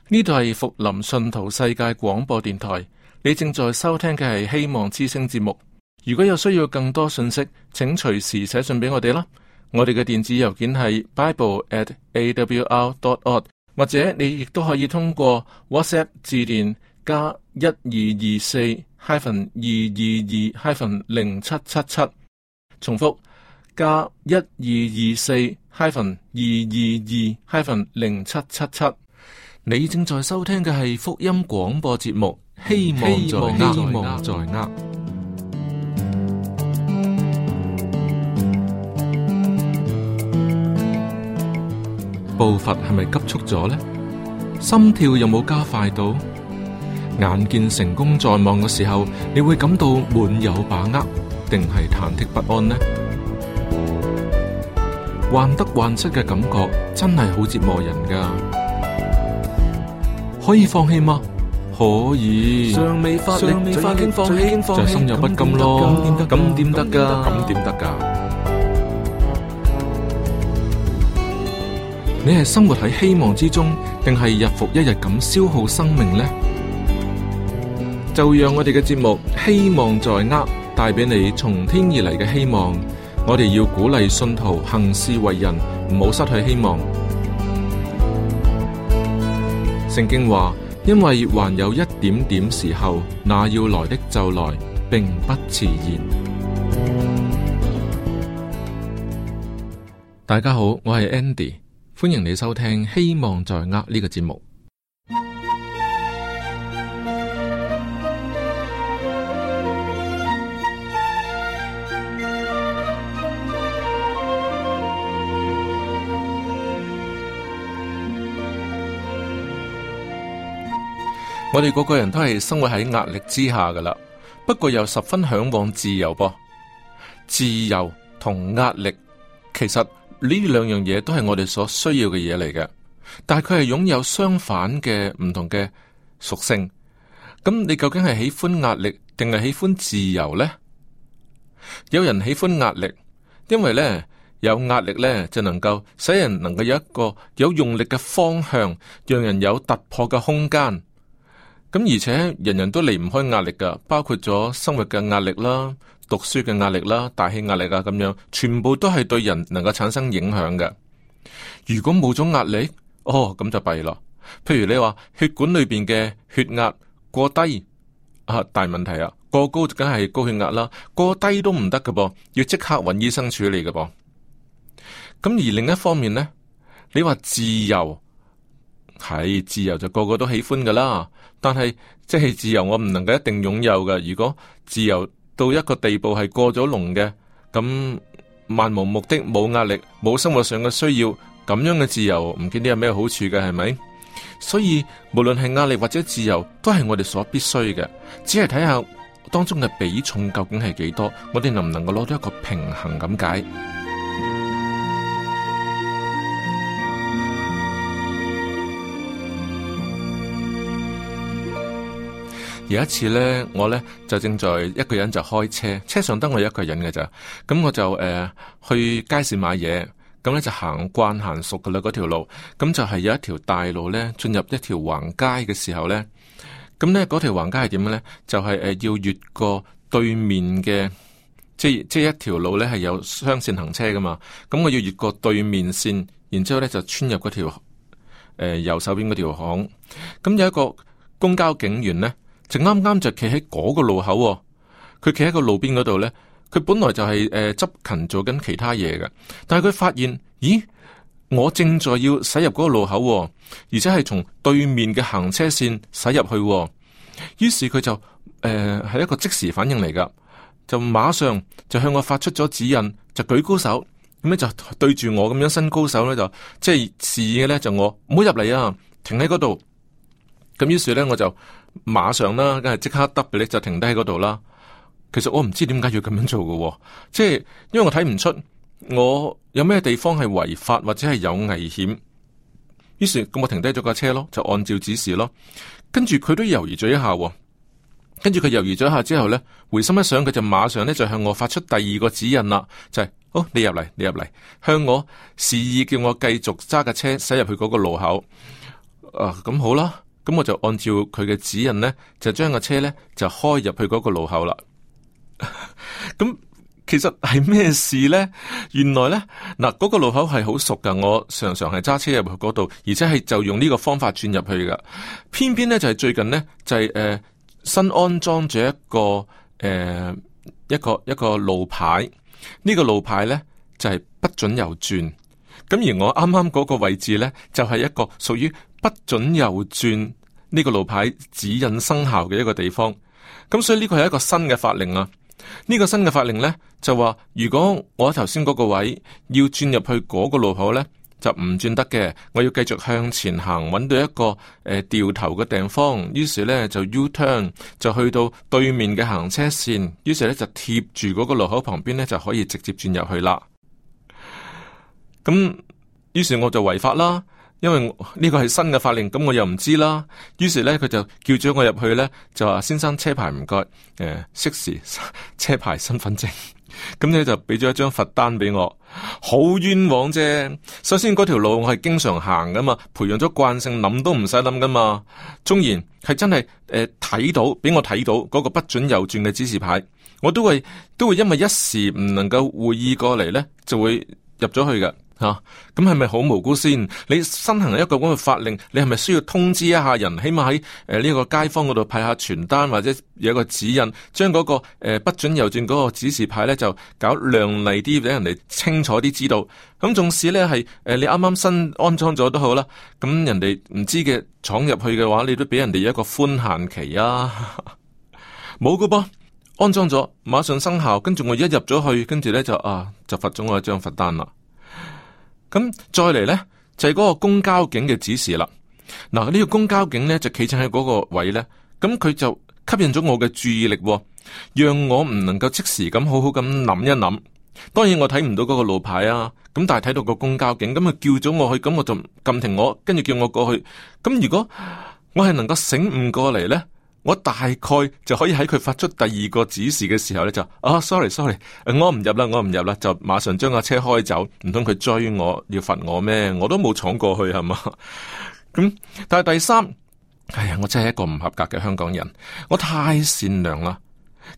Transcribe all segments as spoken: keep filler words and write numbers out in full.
呢度係福林信徒世界廣播電台，你正在收聽嘅係希望之聲節目。如果有需要更多信息，請隨時寫信俾我哋啦。我哋嘅電子郵件係 bible at a w r dot org， 或者你亦都可以通過 WhatsApp 致電加一二二四 hyphen 二二二 hyphen 零七七七，重複加一二二四 hyphen 二二二 hyphen 零七七七。你正在收聽嘅係福音廣播節目，希望在握，希望在握。步伐係咪急促咗呢？心跳有冇加快到？眼見成功在望嘅時候，你會感到滿有把握，定係忐忑不安呢？患得患失嘅感覺真係好折磨人噶。可以放棄嗎？可以。尚未發力，就已經放棄，就心有不甘咯。咁點得噶？咁點得噶？你係生活喺希望之中，定係日復一日咁消耗生命呢？就讓我哋嘅節目希望在握，帶俾你從天而嚟嘅希望。我哋要鼓勵信徒行事為人，唔好失去希望。聖經話，因為還有一點點時候，那要來的就來，並不遲延。大家好，我係 Andy， 歡迎你收聽希望在握呢個節目。我哋個個人都係生活喺壓力之下噶啦，不過又十分向往自由噃。自由同壓力，其實呢兩樣嘢都係我哋所需要嘅嘢嚟嘅，但係佢係擁有相反嘅唔同嘅屬性。咁你究竟係喜歡壓力定係喜歡自由呢？有人喜歡壓力，因為呢，有壓力呢就能夠使人能夠有一個有用力嘅方向，讓人有突破嘅空間。咁而且人人都離唔開壓力噶，包括咗生活嘅壓力啦、讀書嘅壓力啦、大氣壓力啊，咁樣全部都係對人能夠產生影響嘅。如果冇咗壓力，哦咁就弊啦。譬如你話血管裏邊嘅血壓過低啊，大問題啊，過高梗係高血壓啦，過低都唔得噶噃，要即刻揾醫生處理噶噃。咁而另一方面呢，你話自由。係自由就個個都喜歡噶啦，但係即係自由我唔能夠一定擁有噶。如果自由到一個地步係過咗龍嘅，咁漫無目的、冇壓力、冇生活上嘅需要，咁樣嘅自由唔見得有咩好處嘅，係咪？所以無論係壓力或者自由，都係我哋所必須嘅，只係睇下當中嘅比重究竟係幾多，我哋能唔能夠攞到一個平衡咁解。有一次呢，我呢就正在一個人就開車，車上得我一個人嘅咋，咁我就誒、呃、去街市買嘢，咁呢就行慣行熟噶啦嗰條路，咁就係有一條大路呢，進入一條橫街嘅時候呢，咁呢嗰條橫街係點樣呢？就係、是、誒、呃、要越過對面嘅，即係即係一條路呢係有雙線行車噶嘛，咁我要越過對面線，然之後呢就穿入嗰條誒右手邊嗰條巷，咁有一個公交警員呢。就啱啱就企喺嗰個路口、哦，佢企喺個路邊嗰度咧。佢本來就係誒執勤做緊其他嘢嘅，但係佢發現，咦，我正在要駛入嗰個路口、哦，而且係從對面嘅行車線駛入去、哦。於是佢就誒係、呃、一個即時反應嚟噶，就馬上就向我發出咗指引，就舉高手，咁咧就對住我咁樣伸高手咧，就即係示意嘅咧，就我唔好入嚟啊，停喺嗰度。咁於是咧，我就馬上啦，梗係即刻 double 咧，就停低喺嗰度啦。其實我唔知點解要咁樣做嘅、哦，即係因為我睇唔出我有咩地方係違法或者係有危險。於是咁我停低咗架車咯，就按照指示咯。跟住佢都猶豫咗一下、哦，跟住佢猶豫咗一下之後咧，回心一想，佢就馬上咧就向我發出第二個指引啦，就係、是、好，你入嚟，你入嚟，向我示意叫我繼續揸架車駛入去嗰個路口。啊，咁好啦，咁我就按照佢嘅指引呢，就將個車呢就開入去嗰個路口啦。咁其實係咩事呢？原來呢，嗱，嗰個路口係好熟噶，我常常係揸車入去嗰度，而且係就用呢個方法轉入去噶。偏偏呢，就係、是、最近呢，就係、是、誒、呃、新安裝咗一個誒、呃、一個一個路牌，呢、這個路牌呢，就係、是、不准右轉。咁而我啱啱嗰個位置呢，就係、是、一個屬於不准右轉呢個路牌指引生效嘅一個地方。咁所以呢個係一個新嘅法令啊！呢、這個新嘅法令呢，就話，如果我頭先嗰個位要轉入去嗰個路口呢，就唔轉得嘅。我要繼續向前行，揾到一個誒、呃、掉頭嘅地方，於是呢，就 U turn 就去到對面嘅行車線，於是呢，就貼住嗰個路口旁邊呢，就可以直接轉入去啦。咁於是我就違法啦，因為呢個係新嘅法令，咁我又唔知啦。於是咧，佢就叫咗我入去咧，就話，先生，車牌唔該，誒、呃，識時車牌身份證，咁咧就俾咗一張罰單俾我，好冤枉啫。首先嗰條路我係經常行噶嘛，培養咗慣性，諗都唔使諗噶嘛。縱然係真係誒睇到，俾我睇到嗰個不准右轉嘅指示牌，我都會都會因為一時唔能夠會意過嚟咧，就會入咗去噶。吓，咁係咪好無辜先？你新行一個咁嘅法令，你係咪需要通知一下人？起碼喺誒呢個街坊嗰度派下傳單，或者有一個指引，將嗰、那個誒、呃、不准右轉嗰個指示牌咧，就搞亮麗啲，俾人哋清楚啲知道。咁縱使咧係誒你啱啱新安裝咗都好啦，咁人哋唔知嘅闖入去嘅話，你都俾人哋一個寬限期啊！冇噶噃，安裝咗馬上生效，跟住我一入咗去，跟住咧就啊就罰咗我一張罰單啦。咁再嚟呢，就係、是、嗰個公交警嘅指示啦。嗱，呢個公交警呢，就企正喺嗰個位呢，咁佢就吸引咗我嘅注意力，讓我唔能夠即時咁好好咁諗一諗。當然我睇唔到嗰個路牌啊，咁但係睇到個公交警，咁佢叫咗我去，咁我就撳停我，跟住叫我過去。咁如果我係能夠醒悟過嚟呢，我大概就可以喺佢發出第二個指示嘅時候咧，就啊 sorry sorry，我唔入啦，我唔入啦，就馬上將架車開走。唔通佢追我要罰我咩？我都冇闖過去係嘛？咁但係第三，哎呀，我真係一個唔合格嘅香港人，我太善良啦，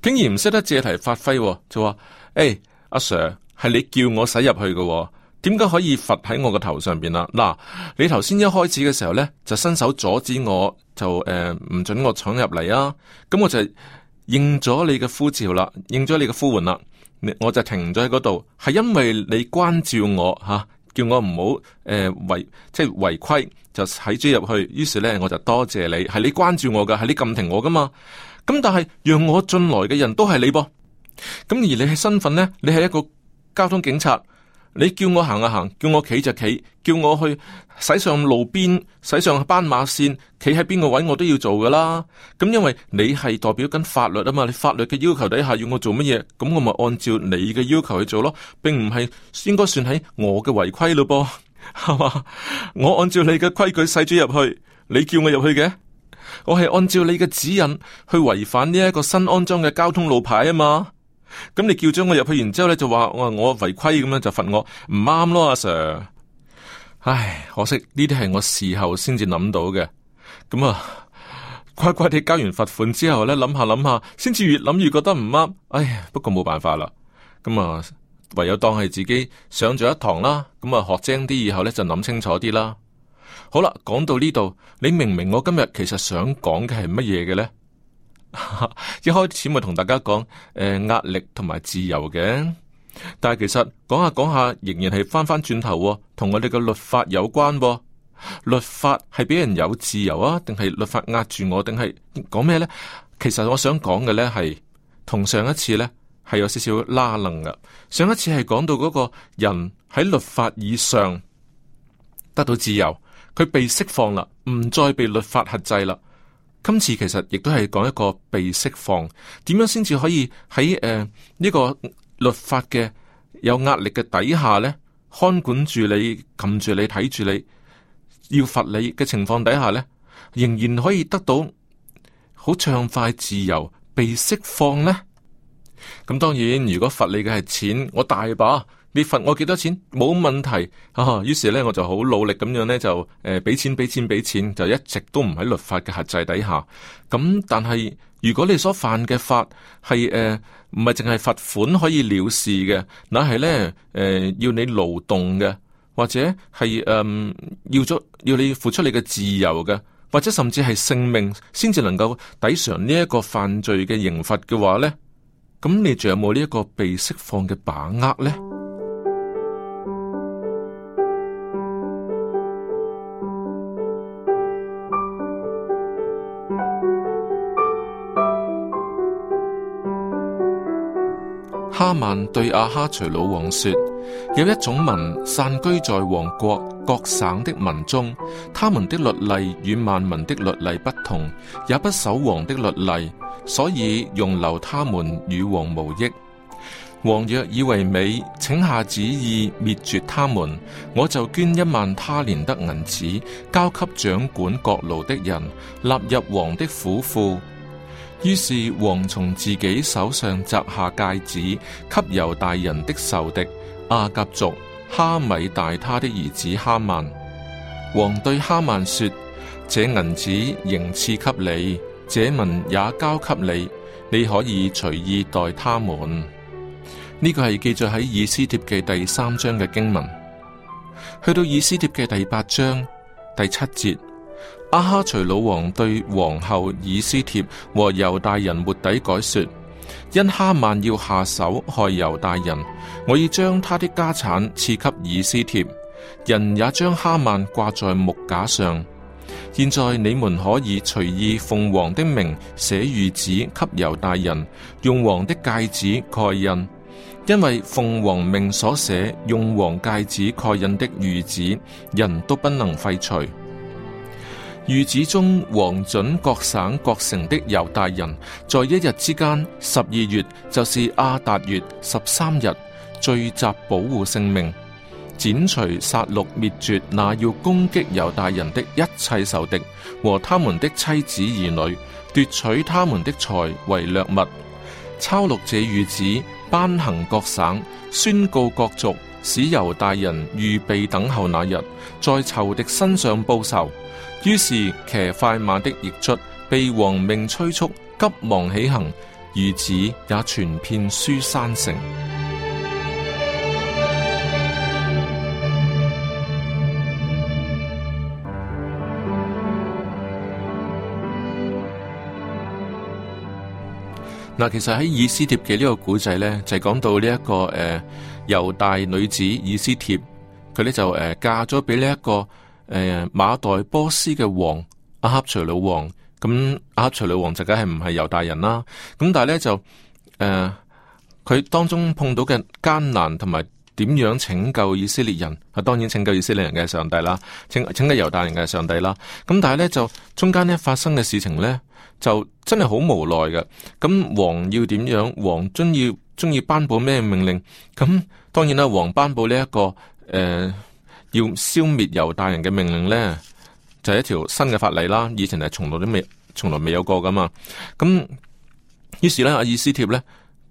竟然唔識得借題發揮，就話誒阿 Sir 係你叫我駛入去嘅，點解可以罰喺我個頭上邊啦？嗱，你頭先一開始嘅時候咧，就伸手阻止我，就誒唔、呃、准我闖入嚟啊！咁我就應咗你嘅呼召啦，應咗你嘅呼喚啦，我就停咗喺嗰度，係因為你關照我吓、啊，叫我唔好誒違即係違規，就駛咗入去。於是咧，我就多謝你，係你關照我噶，係你撳停我噶嘛。咁但係讓我進來嘅人都係你噃，咁而你係身份咧，你係一個交通警察。你叫我行啊行，叫我企就企，叫我去駛上路邊，駛上斑馬線，企喺邊個位我都要做噶啦。咁因為你係代表緊法律啊嘛，你法律嘅要求底下要我做乜嘢，咁我咪按照你嘅要求去做咯，並唔係應該算喺我嘅違規咯噃，係嘛？我按照你嘅規矩駛咗入去，你叫我入去嘅，我係按照你嘅指引去違反呢一個新安裝嘅交通路牌啊嘛。咁你叫咗我入去，然之後咧就話我我違規咁樣就罰我唔啱咯，阿 Sir。唉，可惜呢啲係我事後先至諗到嘅。咁啊，乖乖地交完罰款之後咧，諗下諗下，先至越諗越覺得唔啱。唉呀，不過冇辦法啦。咁啊，唯有當係自己上咗一堂啦。咁啊，學精啲以後咧就諗清楚啲啦。好啦，講到呢度，你明唔明我今日其實想講嘅係乜嘢嘅咧？一開始咪同大家講誒壓力同埋自由嘅，但係其實講下講下仍然係翻翻轉頭，同我哋嘅律法有關。律法係俾人有自由啊，定係律法壓住我，定係講咩呢？其實我想講嘅呢係同上一次呢係有少少拉楞噶。上一次係講到嗰個人喺律法以上得到自由，佢被釋放啦，唔再被律法轄制啦。今次其實亦都係講一個被釋放，點樣先至可以喺誒呢個律法嘅有壓力嘅底下呢，看管住你、撳住你、睇住你，要罰你嘅情況底下呢，仍然可以得到好暢快、自由、被釋放呢？咁當然，如果罰你嘅係錢，我大把你罰我幾多錢冇問題啊。於是咧我就好努力咁樣咧就誒俾錢俾錢俾錢，就一直都唔喺律法嘅轄制底下。咁但係如果你所犯嘅法係誒唔係淨係罰款可以了事嘅，那係咧誒要你勞動嘅，或者係誒、呃、要咗要你付出你嘅自由嘅，或者甚至係性命先至能夠抵償呢一個犯罪嘅刑罰嘅話咧，咁你仲有冇呢一個被釋放嘅把握咧？哈曼對亞哈隨魯王說：有一種民散居在王國各省的民中，他們的律例與萬民的律例不同，也不守王的律例，所以容留他們與王無益。王若以為美，請下旨意滅絕他們，我就捐一萬他連得銀子，交給掌管各路的人，納入王的府庫。於是王從自己手上摘下戒指，給猶大人的仇敵亞甲族哈米大他的兒子哈曼。王對哈曼說：這銀子仍賜給你，這民也交給你，你可以隨意待他們。呢個係記載喺以斯帖記第三章嘅經文。去到以斯帖記第八章第七節。亞哈隨魯王對皇后以斯帖和猶大人末底改說：因哈曼要下手害猶大人，我已將他的家產賜給以斯帖，人也將哈曼掛在木架上。現在你們可以隨意奉王的名寫諭旨給猶大人，用王的戒指蓋印，因為奉王命所寫用王戒指蓋印的諭旨，人都不能廢除。諭旨中，王准各省各城的猶大人，在一日之間，十二月就是亞達月十三日，聚集保護性命，剪除殺戮滅絕那要攻擊猶大人的一切仇敵和他們的妻子兒女，奪取他們的財為掠物。抄錄這諭旨，頒行各省，宣告各族，使猶大人預備等候那日，在仇敵身上報仇。於是騎快馬的驛卒被王命催促，急忙起行，諭旨也傳遍書珊城。嗱，其實喺以斯帖嘅呢個古仔呢，就係、是、講到呢、這、一個誒猶、呃、大女子以斯帖，佢呢就誒、呃、嫁咗俾呢一個。誒、呃，馬代波斯嘅王亞哈隨魯王，咁亞哈隨魯王就梗係唔係猶大人啦。咁但係咧就誒，佢、呃、當中碰到嘅艱難同埋點樣拯救以色列人，啊，當然拯救以色列人嘅上帝啦，拯拯救猶大人嘅上帝啦。咁但係咧就中間咧發生嘅事情咧，就真係好無奈嘅。咁王要點樣？王中意中意頒布咩命令？咁當然啦，王頒布呢、這、一個誒。呃要消滅猶大人嘅命令呢，就係、是、一條新嘅法例啦。以前係從來都未，從來未有過噶嘛。咁於是呢，阿以斯帖呢，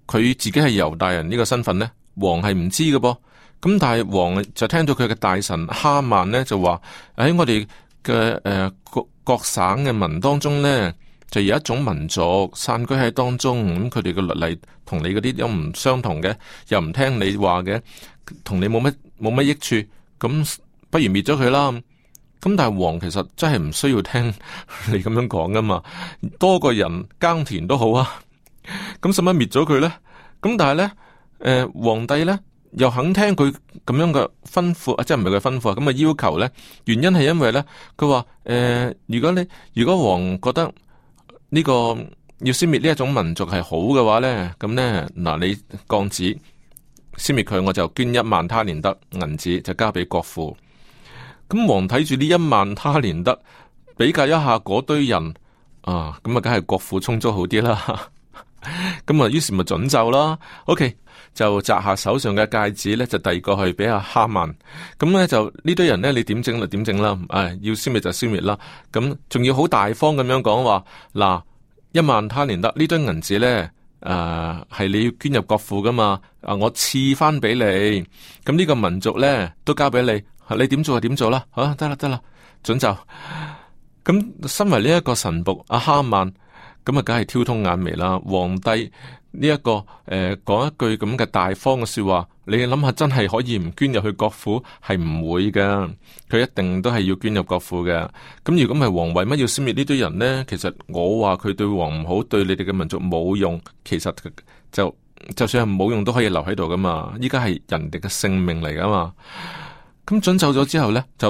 佢自己係猶大人呢個身份呢，王係唔知嘅噃。咁但係王就聽到佢嘅大臣哈曼呢，就話喺我哋嘅誒各各省嘅民當中呢，就有一種民族散居喺當中，咁佢哋嘅律例同你嗰啲又唔相同嘅，又唔聽你話嘅，同你冇乜冇乜益處。咁不如滅咗佢啦。咁但係王其實真係唔需要聽你咁樣講噶嘛，多個人耕田都好啊。咁使乜滅咗佢咧？咁但係咧，誒、呃，皇帝咧又肯聽佢咁樣嘅吩咐啊，即係唔係佢吩咐啊？咁嘅要求咧，原因係因為咧，佢話誒，如果你如果王覺得呢個要消滅呢一種民族係好嘅話咧，咁咧嗱，你降旨。消滅佢，我就捐一萬他連得銀子，就交俾國庫。咁王睇住呢一萬他連得，比較一下嗰堆人啊，咁啊，梗係國庫充足好啲啦。咁啊，於是咪准奏啦。OK，就摘下手上嘅戒指咧，就遞過去俾阿哈曼。咁咧就呢堆人咧，你點整就點整啦。唉，要消滅就消滅啦。咁仲要好大方咁樣講話，嗱，一萬他連得呢堆銀子咧。誒係你要捐入國庫噶嘛，啊我賜翻俾你，咁呢個民族咧都交俾你，你點做就點做啦，好得啦得啦，准就。咁身為呢一個神僕阿哈曼，咁啊梗係挑通眼眉啦。皇帝呢、這個呃、一個誒講一句咁嘅大方嘅說話，你諗下真係可以唔捐入去國庫？係唔會噶，佢一定都係要捐入國庫嘅。咁如果唔係王為乜要消滅呢堆人呢？其實我話佢對王唔好，對你哋嘅民族冇用，其實就就算係冇用都可以留喺度噶嘛。依家係人哋嘅性命嚟噶嘛。咁准奏咗之後呢，就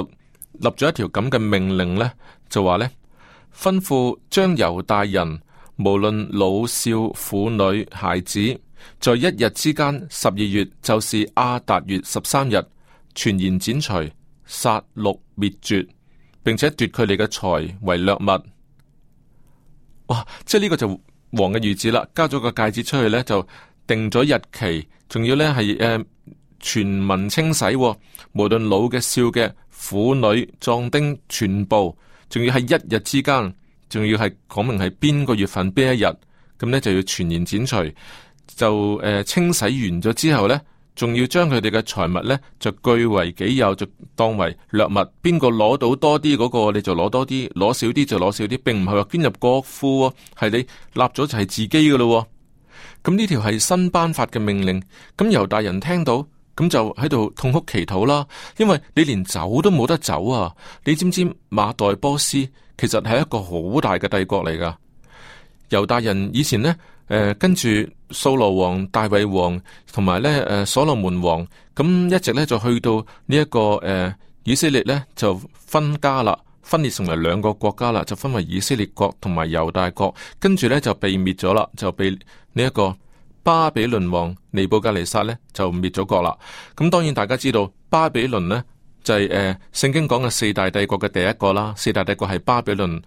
立咗一條咁嘅命令呢，就話呢，吩咐將猶大人無論老少婦女孩子，在一日之間，十二月就是亞達月十三日，全然剪除、殺戮、滅絕，並且奪佢哋嘅財為掠物。哇！即係呢個就王嘅諭旨啦，交咗個戒指出去呢，就定咗日期，仲要呢係誒、呃、全民清洗、哦，無論老嘅、少嘅、婦女、壯丁，全部，仲要喺一日之間。仲要係講明係邊個月份邊一日，咁呢就要全然剪除，就誒、呃、清洗完咗之後呢，仲要將佢哋嘅財物呢就據為己有，就當為掠物。邊個攞到多啲嗰個，你就攞多啲；攞少啲就攞少啲，並唔係話捐入國庫，係你立咗就係自己噶咯。咁呢條係新頒發嘅命令，咁猶大人聽到，咁就喺度痛哭祈禱啦，因為你連走都冇得走啊！你知唔知馬代波斯其實係一個好大嘅帝國嚟噶？猶大人以前呢，誒、呃、跟住掃羅王、大衛王同埋咧誒所羅門王，咁一直咧就去到呢、這、一個誒、呃、以色列咧就分家啦，分裂成為兩個國家啦，就分為以色列國同埋猶大國，跟住咧就被滅咗啦，就被呢一個巴比倫王尼布甲尼撒咧就滅咗國啦。咁當然大家知道巴比倫呢，就係、是、誒、呃、聖經講嘅四大帝國嘅第一個啦，四大帝國係巴比倫、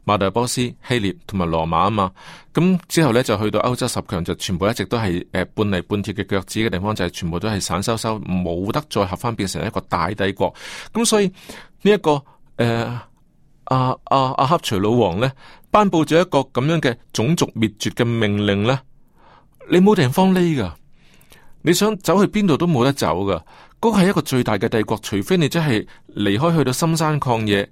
馬代波斯、希臘同埋羅馬啊嘛。咁之後咧就去到歐洲十強，就全部一直都係誒、呃、半泥半鐵嘅腳趾嘅地方，就係、是、全部都係散修修，冇得再合翻變成一個大帝國。咁所以呢一、這個誒阿阿阿哈隨魯王咧頒布咗一個咁樣嘅種族滅絕嘅命令咧。你冇地方匿噶，你想走去邊度都冇得走噶。嗰個係一個最大嘅帝國，除非你真係離開去到深山曠野。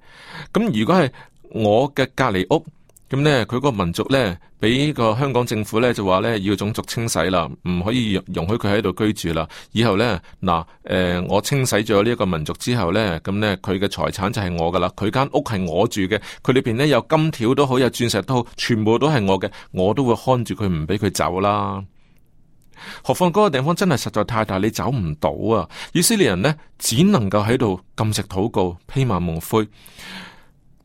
咁如果係我嘅隔離屋，咁呢，佢個民族呢，俾個香港政府呢，就話呢要種族清洗啦，唔可以容許佢喺度居住啦。以後呢，嗱，誒、呃，我清洗咗呢一個民族之後呢，咁呢，佢嘅財產就係我噶啦，佢間屋係我住嘅，佢裏邊呢有金條都好，有鑽石都好，全部都係我嘅，我都會看住佢，唔俾佢走啦。何況嗰個地方真係實在太大，你走唔到啊！以色列人呢，只能夠喺度禁食禱告，披麻蒙灰。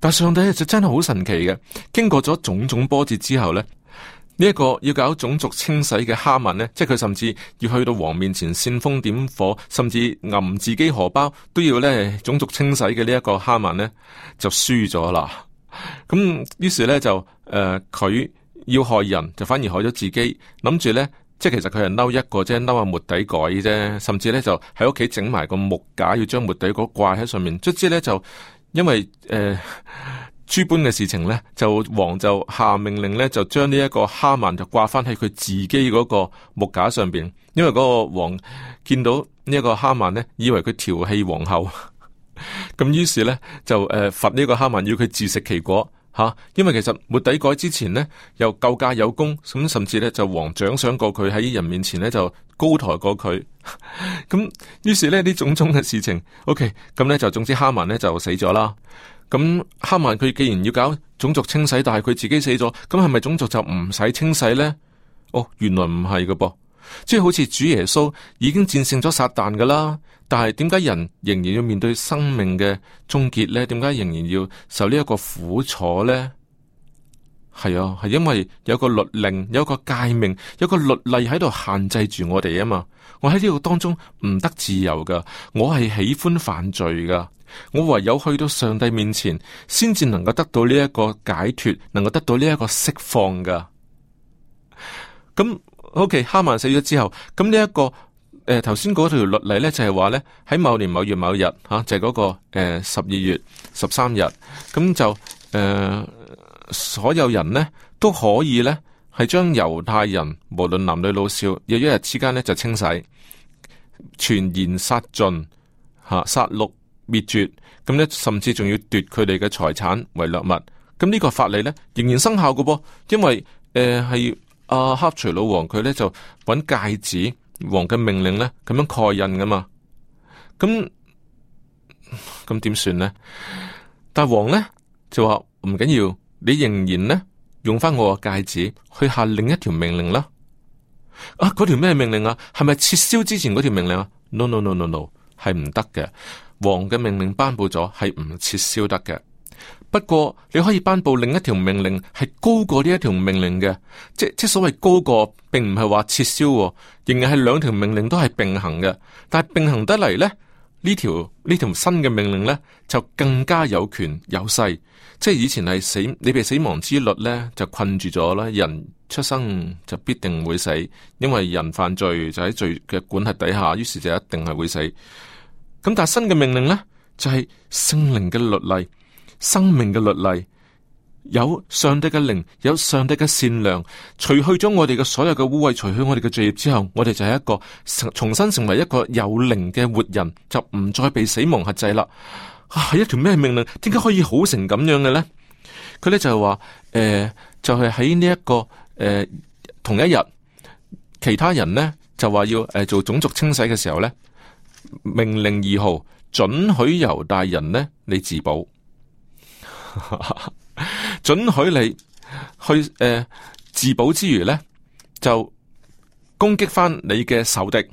但上帝就真係好神奇嘅，經過咗種種波折之後呢，呢、這、一個要搞種族清洗嘅哈曼呢，即係佢甚至要去到王面前煽風點火，甚至揞自己荷包都要呢種族清洗嘅呢一個哈曼呢，就輸咗啦。咁於是呢，就誒佢、呃、要害人，就反而害咗自己，諗住呢。即係其實佢係嬲一個啫，嬲下末底改啫，甚至咧就喺屋企整埋個木架，要將末底改掛喺上面。卒之咧就因為誒諸般嘅事情咧，就王就下命令咧，就將呢一個哈曼就掛翻喺佢自己嗰個木架上邊。因為嗰個王見到呢一個哈曼咧，以為佢調戲皇后，咁於是咧就誒罰呢個哈曼，要佢自食其果。吓，因為其實末底改之前呢，又救駕有功，咁甚至咧就王獎賞過佢，喺人面前咧就高抬過佢。咁於是咧呢種種嘅事情 ，OK， 咁咧就總之哈曼咧就死咗啦。咁哈曼佢既然要搞種族清洗，但係佢自己死咗，咁係咪種族就唔使清洗咧？哦，原來唔係㗎噃，即係好似主耶穌已經戰勝咗撒旦噶啦。但係點解人仍然要面對生命嘅終結呢？點解仍然要受呢一個苦楚呢？係啊，係因為有個律令，有個誡命，有個律例喺度限制住我哋啊嘛。我喺呢個當中唔得自由噶，我係喜歡犯罪噶。我唯有去到上帝面前，先至能夠得到呢一個解脫，能夠得到呢一個釋放噶。咁 OK， 哈曼死咗之後，咁呢一個。誒，頭先嗰條律例咧就係話咧喺某年某月某日吓、啊，就係、是、嗰、那個誒十二月十三日，咁就誒、呃、所有人咧都可以咧係將猶太人無論男女老少，有一日之間呢就清洗，全然殺盡，吓殺戮滅絕，咁呢甚至仲要奪佢哋嘅財產為掠物。咁呢個法例呢仍然生效嘅噃，因為誒係阿哈隨魯王佢呢就揾戒指王嘅命令呢咁樣蓋印噶嘛。咁咁點算呢？但王呢就話唔緊要，你仍然呢用翻我個戒指去下另一條命令啦。啊，嗰條咩命令啊？係咪撤銷之前嗰條命令啊 ？No no no no no， 係唔得嘅。王嘅命令頒布咗，係唔撤銷得嘅。不過你可以頒布另一條命令，係高過呢一條命令嘅。即即所謂高過，並唔係話撤銷，仍然係兩條命令都係並行嘅。但係並行得嚟呢，呢條呢條新嘅命令呢，就更加有權有勢。即係以前係死，你被死亡之律呢，就困住咗啦。人出生就必定會死，因為人犯罪就喺罪嘅管轄底下，於是就一定係會死。咁但係新嘅命令呢，就係聖靈嘅律例，生命嘅律例，有上帝嘅靈，有上帝嘅善良，除去咗我哋嘅所有嘅污穢，除去我哋嘅罪孽之後，我哋就係一個重新成為一個有靈嘅活人，就唔再被死亡轄制啦。啊，係一條咩命令？點解可以好成咁樣嘅呢？佢咧就係話，誒、呃，就係喺呢一個誒、呃、同一日，其他人呢就話要誒、呃、做種族清洗嘅時候呢，命令二號准許猶大人呢你自保，准許你去誒、呃、自保之餘呢，就攻擊翻你嘅仇敵，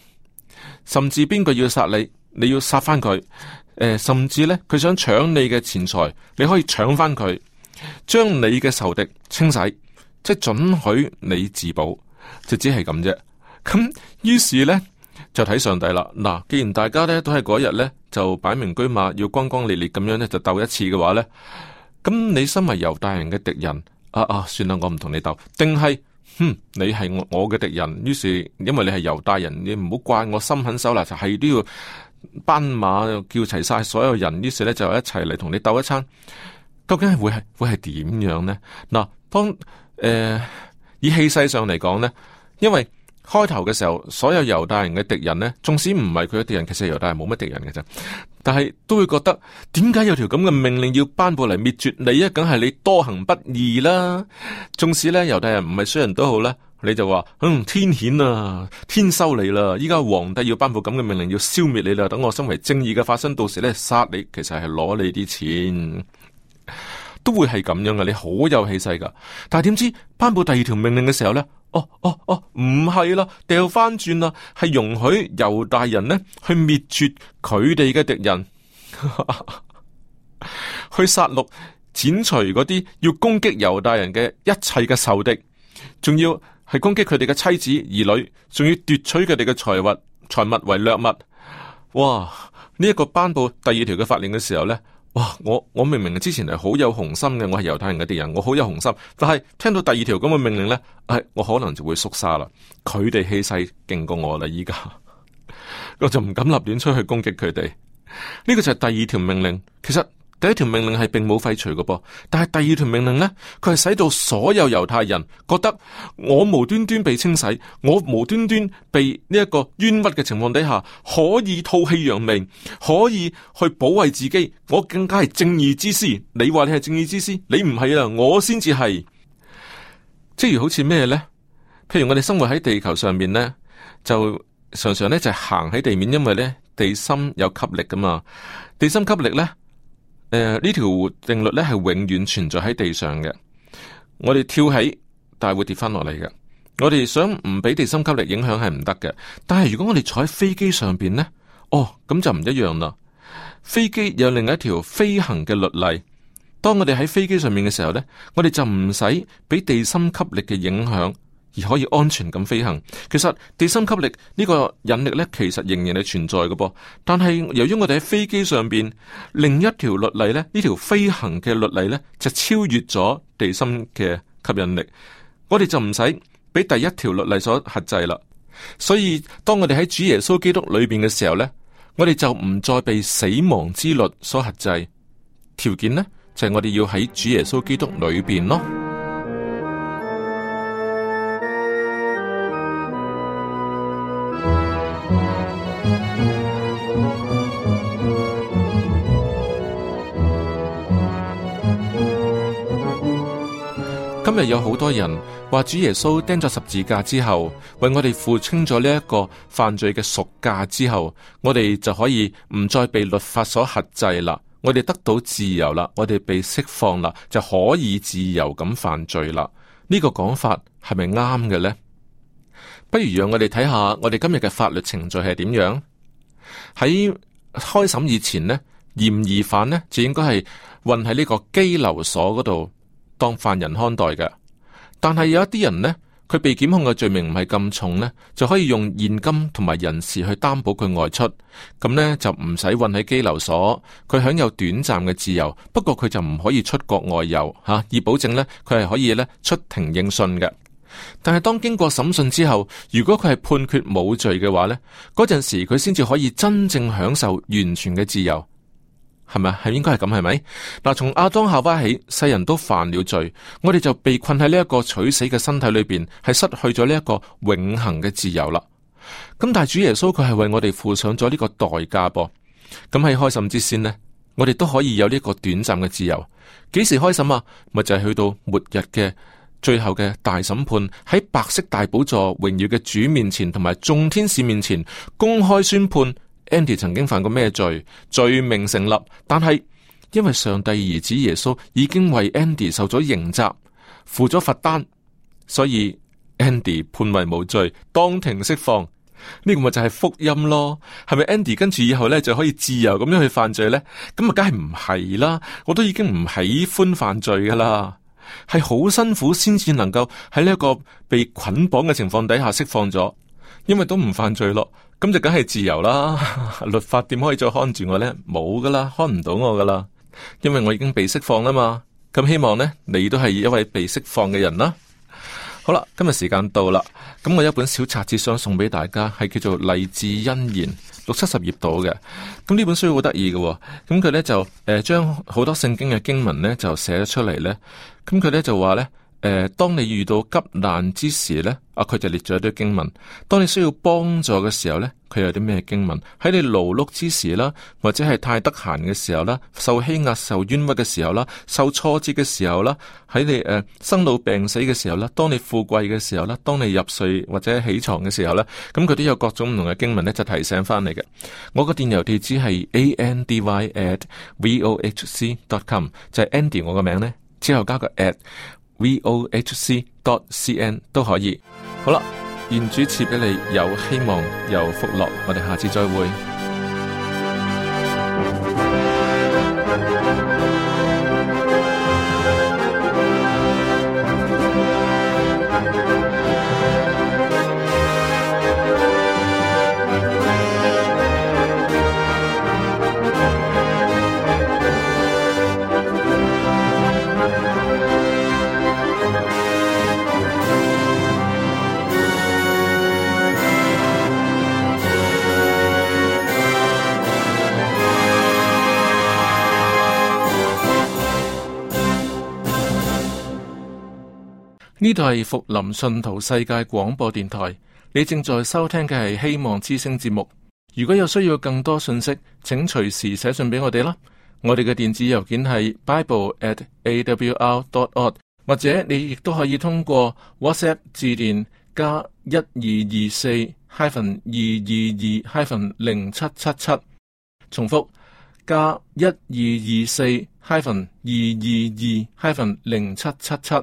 甚至邊個要殺你，你要殺翻佢。誒、呃，甚至咧，佢想搶你嘅錢財，你可以搶翻佢，將你嘅仇敵清洗，即係准許你自保，就只係咁啫。咁於是咧就睇上帝啦。嗱，既然大家咧都係嗰日咧就擺明車馬要轟轟烈烈咁樣咧就鬥一次嘅話咧，咁你身為猶大人嘅敵人，啊啊，算啦，我唔同你鬥，定係，哼，你係我我嘅敵人。於是因為你係猶大人，你唔好怪我心狠手辣，就係都要。斑馬叫齊晒所有人，於是咧就一齊嚟同你鬥一餐。究竟係會係會係點樣呢？嗱，當誒、呃、以氣勢上嚟講呢，因為開頭嘅時候，所有猶大人嘅敵人呢，縱使唔係佢嘅敵人，其實猶大人冇乜敵人嘅啫。但係都會覺得，點解有條咁嘅命令要頒布嚟滅絕你啊？梗係你多行不義啦。縱使咧猶大人唔係衰人都好啦。你就話，嗯，天譴啊，天收你啦！依家皇帝要頒布咁嘅命令，要消滅你啦。等我身為正義嘅化身，到時咧殺你，其實係攞你啲錢，都會係咁樣嘅。你好有氣勢噶，但係點知頒布第二條命令嘅時候咧，哦哦哦，唔係啦，掉翻轉啦，係容許猶大人呢去滅絕佢哋嘅敵人，去殺戮剪除嗰啲要攻擊猶大人嘅一切嘅仇敵，仲要。係攻擊佢哋嘅妻子兒女，仲要奪取佢哋嘅財物財物為掠物。哇！呢、這、一個頒布第二條嘅法令嘅時候呢，哇！我我明明之前係好有雄心嘅，我係猶太人嘅敵人，我好有雄心。但係聽到第二條咁嘅命令呢，哎，我可能就會縮沙啦。佢哋氣勢勁過我啦，依家我就唔敢立亂出去攻擊佢哋。呢、這個就係第二條命令。其實。第一條命令係並冇廢除嘅噃，但係第二條命令呢，佢係使到所有猶太人覺得我無端端被清洗，我無端端被呢一個冤屈嘅情況底下，可以吐氣揚眉，可以去保衛自己，我更加係正義之師。你話你係正義之師，你唔係啊，我先至係。即如好似咩呢？譬如我哋生活喺地球上面呢，就常常呢就係行喺地面，因為呢地心有吸力噶嘛，地心吸力呢。誒，呢條、呃、定律咧係永遠存在喺地上嘅。我哋跳起，但係會跌翻落嚟嘅。我哋想唔俾地心吸力影響係唔得嘅。但係如果我哋坐喺飛機上邊呢，哦，咁就唔一樣啦。飛機有另一條飛行嘅律例。當我哋喺飛機上面嘅時候呢，我哋就唔使俾地心吸力嘅影響，而可以安全咁飛行。其實地心吸力呢個引力呢，其實仍然係存在嘅噃。但係由於我哋喺飛機上邊，另一條律例呢，呢條飛行嘅律例呢，就超越咗地心嘅吸引力，我哋就唔使俾第一條律例所限制啦。所以當我哋喺主耶穌基督裏邊嘅時候呢，我哋就唔再被死亡之律所限制。條件呢，就係我哋要喺主耶穌基督裏邊咯。今日有好多人話主耶穌釘咗十字架之後，為我哋付清咗呢一個犯罪嘅贖價之後，我哋就可以唔再被律法所轄制啦，我哋得到自由啦，我哋被釋放啦，就可以自由咁犯罪啦。呢個講法係咪啱嘅呢？不如讓我哋睇下我哋今日嘅法律程序係點樣。喺開審以前呢，嫌疑犯呢就應該係運喺呢個羈留所嗰度當犯人看待嘅。但係有一啲人呢，佢被檢控嘅罪名唔係咁重呢，就可以用現金同埋人事去擔保佢外出，咁呢就唔使運喺羈留所，佢享有短暫嘅自由。不過佢就唔可以出國外遊吓、啊，以保證呢，佢係可以呢出庭應訊嘅。但係當經過審訊之後，如果佢係判決冇罪嘅話呢，嗰陣時佢先至可以真正享受完全嘅自由，係咪？係應該係咁，係咪？嗱，從亞當夏娃起，世人都犯了罪，我哋就被困喺呢一個取死嘅身體裏邊，係失去咗呢一個永恆嘅自由啦。咁但係主耶穌佢係為我哋付上咗呢個代價噃。咁喺開審之先呢，我哋都可以有呢個短暫嘅自由。幾時開審啊？咪就係、是、去到末日嘅最後嘅大審判，喺白色大寶座榮耀嘅主面前，同埋眾天使面前公開宣判 Andy 曾經犯過咩罪，罪名成立。但係因為上帝兒子耶穌已經為 Andy 受咗刑責，付咗罰單，所以 Andy 判為無罪，當庭釋放。呢個咪就係福音咯？係咪 Andy 跟住以後呢就可以自由咁樣去犯罪呢？咁啊，梗係唔係啦！我都已經唔喜歡犯罪噶啦。係好辛苦先至能夠喺呢一個被捆綁嘅情況底下釋放咗，因為都唔犯罪咯，咁就梗係自由啦。律法點可以再看住我呢？冇噶啦，看唔到我噶啦，因為我已經被釋放啦嘛。咁希望呢，你都係一位被釋放嘅人啦。好啦，今日時間到啦，咁我有一本小冊子想送俾大家，係叫做《勵志恩言》，六七十頁到嘅。咁呢本書好得意嘅，咁佢咧就誒將好多聖經嘅經文咧就寫咗出嚟咧。咁佢咧就話咧，誒、呃，當你遇到急難之時咧，啊，佢就列咗一堆經文。當你需要幫助嘅時候咧，佢有啲咩經文？喺你勞碌之時啦，或者係太得閒嘅時候啦，受欺壓、受冤屈嘅時候啦，受挫折嘅時候啦，喺你誒、呃、生老病死嘅時候啦，當你富貴嘅時候啦，當你入睡或者起床嘅時候啦，咁佢都有各種唔同嘅經文咧，就提醒翻你嘅。我個電郵地址係 andy at vohc dot com， 就係 Andy 我個名咧，之後加個 at vohc dot cn 都可以。好啦。願主賜俾你有希望有福樂，我哋下次再會。呢度係福林信徒世界廣播電台，你正在收聽嘅係希望之聲節目。如果有需要更多信息，請隨時寫信俾我哋啦。我哋嘅電子郵件係 bible at a w r dot org， 或者你亦都可以通過 WhatsApp 致電加一二二四 hyphen 二二二 hyphen 零七七七，重複加一二二四 hyphen 二二二 hyphen 零七七七。